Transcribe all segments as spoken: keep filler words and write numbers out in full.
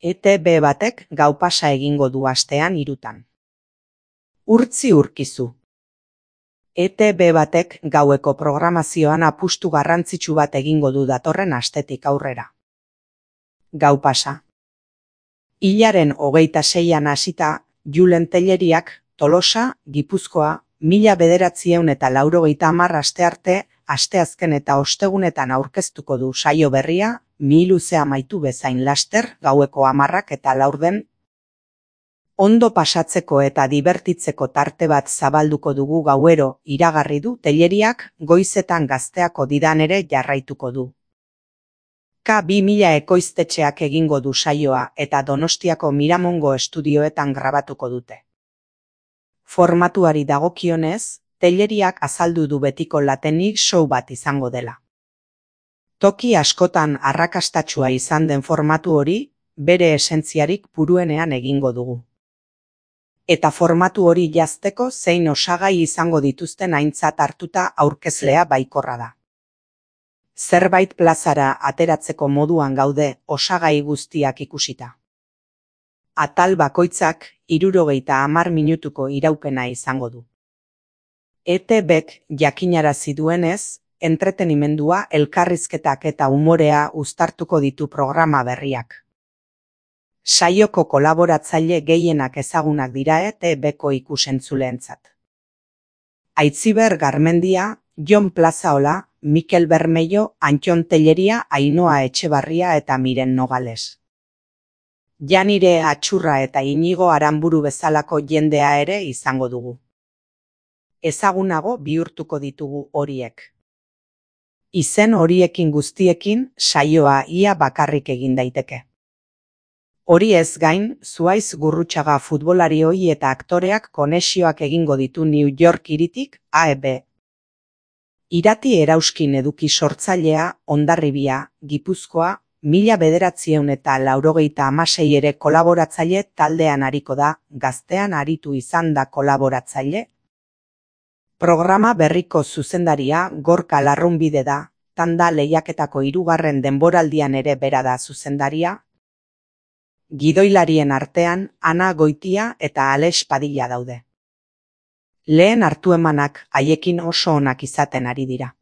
E T B batek gau pasa egingo du astean hirutan. Urtzi urkizu. E T B batek gaueko programazioan apustu garrantzitsu bat egingo du datorren astetik aurrera. Gau pasa. Hilaren hogeita seian hasita, Julen Telleriak Tolosa, Gipuzkoa, mila bederatziehun eta laurogeita hamar astearte, asteazken eta ostegunetan aurkeztuko du saio berria, mi luze amaitu bezain laster, gaueko hamarrak eta laurden. Ondo pasatzeko eta dibertitzeko tarte bat zabalduko dugu gauero, iragarri du Telleriak, goizetan gazteako didan ere jarraituko du. K bi mila ekoiztetxeak egingo du saioa eta Donostiako Miramongo estudioetan grabatuko dute. Formatuari dagokionez, Telleriak azaldu du betiko latenik show bat izango dela. Toki askotan arrakastatsua izan den formatu hori, bere esentziarik puruenean egingo dugu. Eta formatu hori jazteko zein osagai izango dituzten aintzat hartuta aurkezlea baikorra da. Zerbait plazara ateratzeko moduan gaude osagai guztiak ikusita. Atal bakoitzak hirurogeita hamar minutuko iraupena izango du. E T Bek jakinarazi duenez, entretenimendua, elkarrizketak eta umorea uztartuko ditu programa berriak. Saioko kolaboratzaile gehienak ezagunak dira E T Beko ikusentzuleentzat. Aitziber Garmendia, Jon Plazaola, Mikel Bermejo, Antxon Telleria, Ainhoa Etxebarria eta Miren Nogales. Janire Atxurra eta Inigo Aranburu bezalako jendea ere izango dugu. Ezagunago bihurtuko ditugu horiek. Izen horiekin guztiekin saioa ia bakarrik egin daiteke. Hori ez gain, Zuaiz Gurrutxaga futbolarioi eta aktoreak konexioak egingo ditu New York hiritik A E B. Irati Erauskin eduki sortzailea, Hondarribia, Gipuzkoa, mila bederatziehun eta laurogeita hamasei ere kolaboratzaile taldean ariko da, gaztean aritu izan da kolaboratzaile. Programa berriko zuzendaria Gorka Larrunbide da, tanda lehiaketako hirugarren denboraldian ere bera da zuzendaria. Gidoilarien artean Ana Goitia eta Alex Padilla daude. Lehen hartu emanak haiekin oso onak izaten ari dira.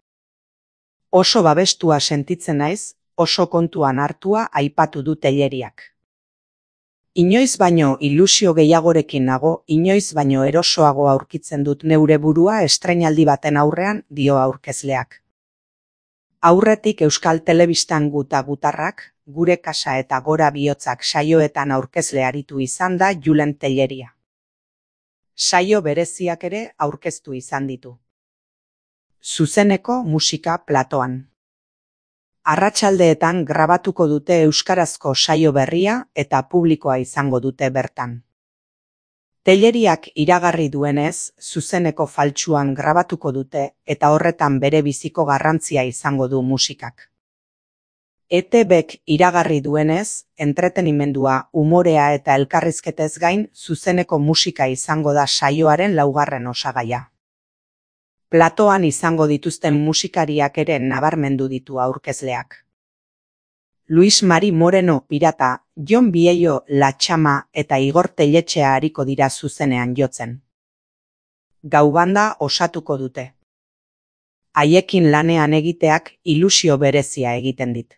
Oso babestua sentitzen naiz, oso kontuan hartua aipatu du Telleriak. Inoiz baino ilusio gehiagorekin nago, inoiz baino erosoago aurkitzen dut neure burua estreinaldi baten aurrean, dio aurkezleak. Aurretik Euskal Telebistan guta gutarrak, Gure kasa eta Gora bihotzak saioetan aurkezle aritu izan da Julen Telleria. Saio bereziak ere aurkeztu izan ditu. Zuzeneko musika platoan. Arratsaldeetan grabatuko dute euskarazko saio berria eta publikoa izango dute bertan. Telleriak iragarri duenez, zuzeneko faltsuan grabatuko dute eta horretan bere biziko garrantzia izango du musikak. E T Bek iragarri duenez, entretenimendua, umorea eta elkarrizketez gain, zuzeneko musika izango da saioaren laugarren osagaia. Platoan izango dituzten musikariak ere nabarmendu ditu aurkezleak. Luis Mari Moreno Pirata, Jon Biello La Txama eta Igor Telletxea ariko dira zuzenean jotzen. Gau banda osatuko dute. Haiekin lanean egiteak ilusio berezia egiten dit.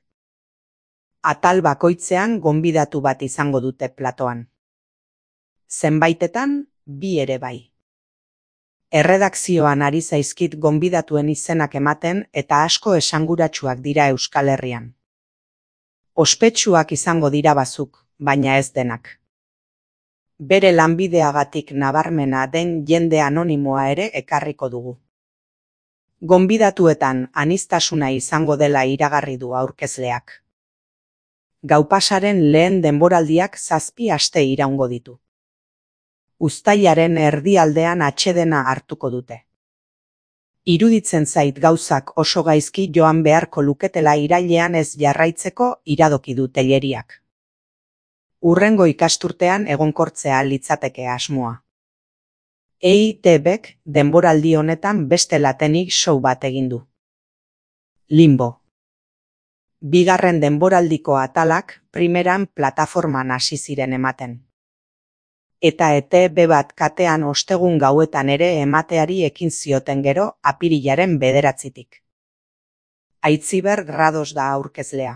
Atal bakoitzean gonbidatu bat izango dute platoan. Zenbaitetan, bi ere bai. Erredakzioan ari zaizkit gonbidatuen izenak ematen eta asko esanguratsuak dira Euskal Herrian. Ospetsuak izango dira bazuk, baina ez denak. Bere lanbideagatik nabarmena den jende anonimoa ere ekarriko dugu. Gonbidatuetan aniztasuna izango dela iragarri du aurkezleak. Gaupasaren lehen denboraldiak zazpi aste iraungo ditu. Uztailaren erdialdean atsedena hartuko dute. Iruditzen zait gauzak oso gaizki joan beharko luketela irailean ez jarraitzeko iradoki du Telleriak. Hurrengo ikasturtean egonkortzea litzateke asmoa. E T Bek denboraldi honetan beste latenik show bat egin du. Limbo. Bigarren denboraldiko atalak primeran plataforman hasi ziren ematen. Eta E T B bat katean ostegun gauetan ere emateari ekin zioten gero apirilaren bederatzitik. Aitziber Rados da aurkezlea.